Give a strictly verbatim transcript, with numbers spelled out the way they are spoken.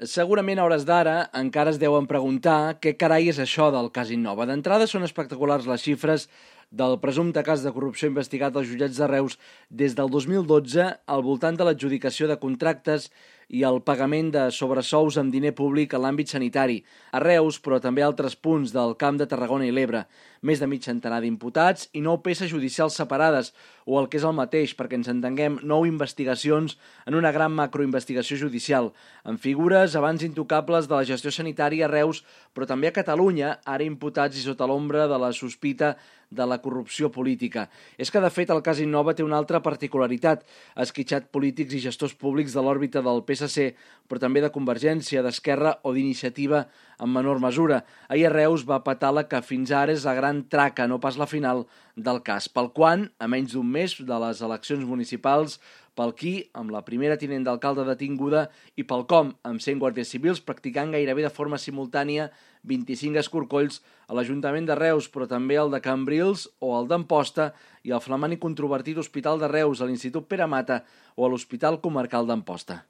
Segurament a hores d'ara encara es deuen preguntar què carai és això del cas Innova. D'entrada són espectaculars les xifres del presumpte cas de corrupció investigat als jutjats de Reus des del dos mil dotze al voltant de l'adjudicació de contractes i el pagament de sobresous amb diner públic a l'àmbit sanitari, a Reus, però també a altres punts del Camp de Tarragona i l'Ebre. Més de mig centenar d'imputats i nou peces judicials separades, o el que és el mateix, perquè ens entenguem, nou investigacions en una gran macroinvestigació judicial, amb figures abans intocables de la gestió sanitària a Reus, però també a Catalunya, ara imputats i sota l'ombra de la sospita de la corrupció política. És que, de fet, el cas Innova té una altra particularitat. Ha esquitxat polítics i gestors públics de l'òrbita del P S C, però també de Convergència, d'Esquerra o d'Iniciativa en menor mesura. Ahir a Reus va petar la que fins ara és la gran traca, no pas la final, del cas. Pel quan, a menys d'un mes de les eleccions municipals, pel qui, amb la primera tinent d'alcalde detinguda, i pel com, amb cent guàrdies civils practicant gairebé de forma simultània vint-i-cinc escorcolls a l'Ajuntament de Reus, però també el de Cambrils o el d'Amposta i el flamant i controvertit Hospital de Reus, a l'Institut Pere Mata o a l'Hospital Comarcal d'Amposta.